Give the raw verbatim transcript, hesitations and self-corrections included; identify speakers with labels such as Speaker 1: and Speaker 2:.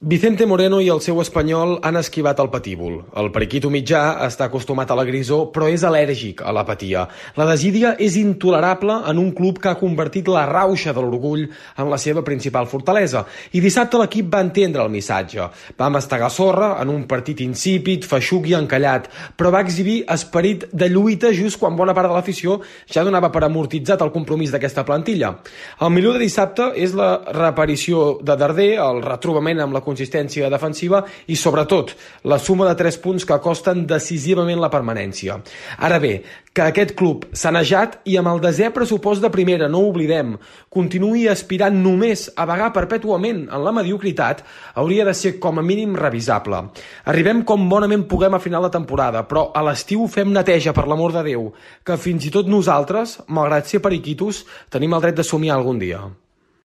Speaker 1: Vicente Moreno i el seu Espanyol han esquivat el patíbul. El periquito mitjà està acostumat a la grisor, però és al·lèrgic a l'apatia. La desídia és intolerable en un club que ha convertit la rauxa de l'orgull en la seva principal fortalesa. I dissabte l'equip va entendre el missatge. Va mastegar sorra en un partit insípid, feixuc i encallat, però va exhibir esperit de lluita just quan bona part de l'afició ja donava per amortitzat el compromís d'aquesta plantilla. El millor de dissabte és la reaparició de Darder, el retrobament amb la consistència defensiva i, sobretot, la suma de tres punts que costen decisivament la permanència. Ara bé, que aquest club sanejat i amb el desè pressupost de primera, no ho oblidem, continuï aspirant només a vagar perpètuament en la mediocritat, hauria de ser com a mínim revisable. Arribem com bonament puguem a final de temporada, però a l'estiu fem neteja, per l'amor de Déu, que fins i tot nosaltres, malgrat ser periquitos, tenim el dret de somiar algun dia.